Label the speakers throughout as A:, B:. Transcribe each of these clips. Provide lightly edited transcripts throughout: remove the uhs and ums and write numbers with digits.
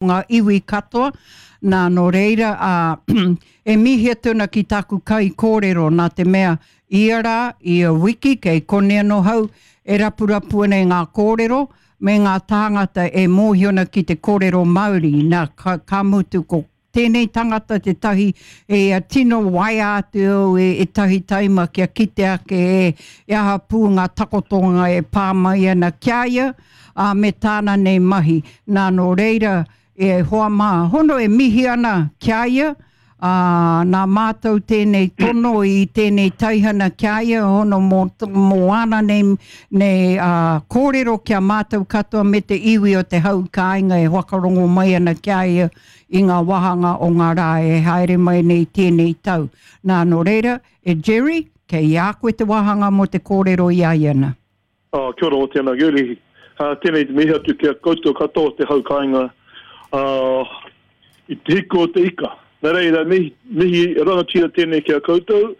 A: Ngā iwi katoa, nā, nō reira, ā, e mihi atu ana ki tāku kaikōrero, nā te mea, ia rā, ia wiki, kei konei anō hau, e rapurapu ana i ngā kōrero, me ngā tāngata e mōhio ana ki te kōrero Māori, nā, ka, ka mutu ko tēnei tangata tētahi e tino waea atu au e ētahi taima kia kite ake e, e aha pū ngā takotonga e pā mai ana ki a ia, ā, me tāna nei mahi. Nā, nō reira, e hoa mā, hono e mihi ana ki a ia, ā, nā mātou tēnei tono i tēnei taihana ki a ia, hono mō, mō āna nei, nei ā, kōrero ki a mātou katoa me te iwi o te hau kāinga e whakarongo mai ana ki a ia i ngā wāhanga o ngā rā e haere mai nei tēnei tau. Nā, nō reira, e Jerry, kei a koe te wāhanga mō te kōrero i a ia nā.
B: Oh, kia ora, tēnā Gurley. Uh, tēnei te mihi atu ki a koutou katoa o te hau kāinga uh, i te hiku o te ika. Nā reira, mihi, mihi rangatira tēnei ki a koutou.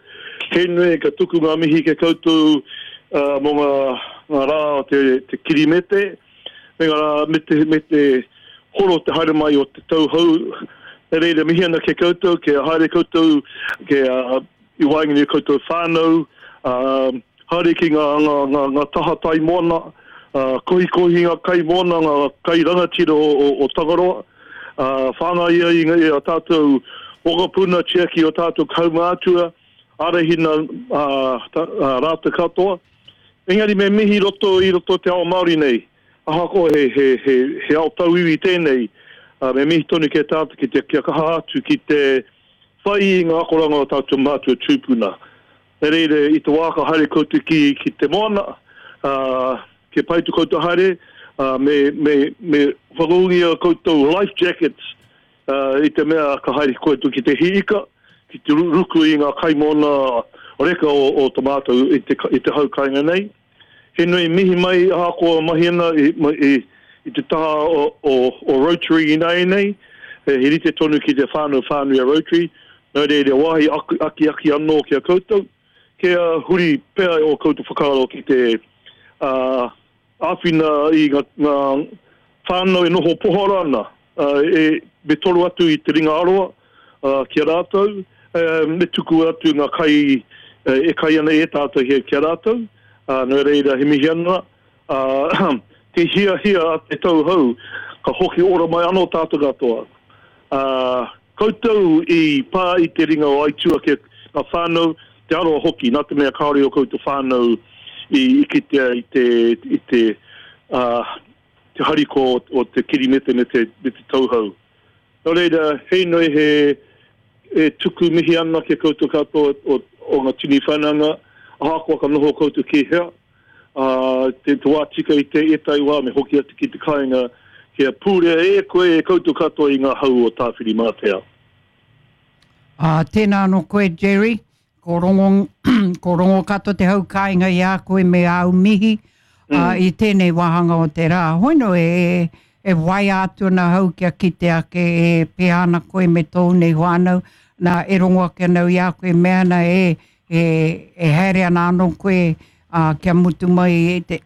B: He nui ka tuku ngā mihi ki a koutou uh, mō ngā, ngā rā o te, te kirimete, me ngā rā, me te, me te horo te haere mai o te tau hou. Nā reira, mihi ana ki a koutou, kia haere koutou, kia uh, i waenganui i koutou whānau, uh, Haere ki ngā, ngā, ngā, ngā taha tai moana, ā, kohikohi ngā kai moana, ngā kai rangatira o, o, o Tangaroa, ā, whāngai ai i, i a tātou mokopuna, tiaki o tātou kaumātua, ārahina ā, ta, ā, rātou katoa. Engari me mihi roto i roto te ao Māori nei, ahakoa he, he, he, he ao tauiwi tēnei, ā, me mihi tonu ki a tātou ki te, kia kaha atu ki te whai i ngā akoranga o tātou mātua tūpuna. Nā reira, i te wā ka haere koutou ki, ki te moana, ā, kia pai to koutou haere, ā, me, me, me whakaūngia koutou life jackets, ā, i te mea ka haere koutou ki te hī ika, ki te ruku i ngā kaimoana reka o, o to mātou i te, i te hau kāinga nei. He nui mihi mai ahakoa mahi ana i, i, i te taha o, o, o Rotary ināianei, he rite tonu ki te whānau whānui a Rotary, nō reira wāhi akiaki anō ki a koutou, kia huri pea ō koutou whakaaro ki te uh, āwhina i ngā, ngā whānau e noho pohara ana, e, me toro atu i te ringa aroa ki a rātou, me tuku atu ngā kai e kai ana e tātou ki a rātou, nō reira he mihi ana, te hiahia a te tau hou, ka hoki ora mai anō tātou katoa. Koutou i pā i te ringa o Aitua ki ngā whānau, te aroha hoki, nā te mea kāore ō koutou whānau i kitea i te, i te, te harikoa o te kirimete me te, me te tauhou. Nō reira, he inoi he, e tuku mihi ana ki a koutou katoa o, o ngā tini whananga, ahakoa ka noho koutou ki hea, ā, te, te wā tika i te ētahi wā me hoki atu ki te kāinga, kia pūrea e koe e koutou katoa i ngā hau o Tāwhirimātea.
A: Ā, tēnā anō koe, Jerry. Ko rongo, ko rongo katoa te hau kāinga i a koe me āu mihi mm. uh, i tēnei wāhanga o te rā. Hoino e, e waia atu ana hau kia kite ake e pēhea ana koe me tōu nei whānau. Nā, e rongo ake ana au i a koe mea ana e, e, e haere ana anō koe uh, kia mutu mai e te,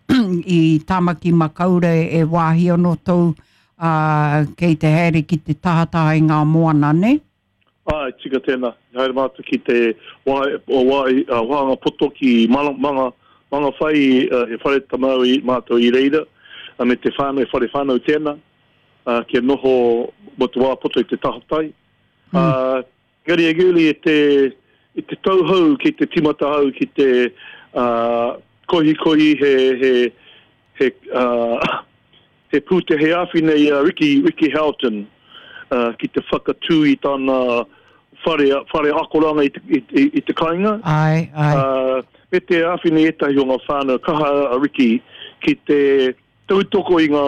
A: i Tāmaki Makaurau e wāhi anō tōu uh, kei te haere ki te tahataha i ngā moana, nei?
B: Āe, tika tēnā. I haere mātou ki te wāhanga poto ki Manga, Mangawhai, he whare tamau i mātou i reira, me te whānau, he whare whānau tēnā, kia noho mō te wā poto i te tahatai. Mm. Engari e Girlie, i te, i te tauhou ki te timata au ki te uh, kohikohi he, he, he, uh, He pūtea he āwhina i a Ricky, Ricky Houghton ki te whakatū i tana whare, whare akoranga i te, i, i, i te kāinga.
A: Āe, āe.
B: Uh, me te āwhina i ētahi o ngā whānau kaha a Ricky ki te tautoko i ngā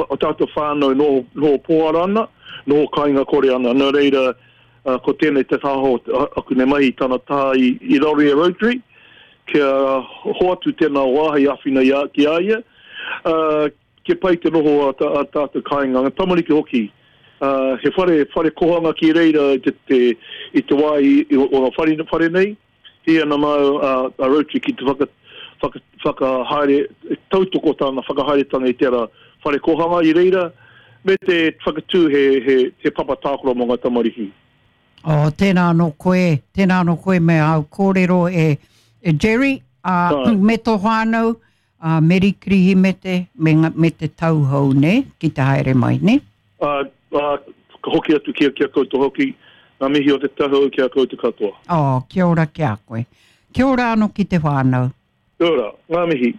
B: o tātou whānau noho, noho pōhara ana, noho kāinga kore ana. Nō reira, uh, ko tēnei te taha o aku nei mahi i tana taha i, i raro i a Rotary, kia hoatu tēnā wāhi āwhina i a, ki a ia. Uh, Kia pai te noho a, a tātou kāinga, ngā tamariki hoki. Uh, he whare, whare kohanga ki reira i te, te, i te wā i, i, o ngā whare, whare nei. Hī ana māu a, a Rotary ki te whaka, whaka, whakahaere, tautoko tāna whakahaeretanga i tērā whare kohanga i reira. Me te whakatū he, he, he papa tākaro mō ngā tamariki.
A: Oh, tēnā anō koe, tēnā anō koe me āu kōrero e, e Jerry, ā, me tō whānau, ā, Meri Kirihimete, me, me te tau hou, nē, ki te haere mai, nē?
B: Ā, ā, ka hoki atu ki a, ki a koutou hoki, ngā mihi o te tau hou ki a koutou katoa.
A: Oh, kia ora ki a koe. Kia ora anō ki te whānau.
B: Kia ora, ngā mihi.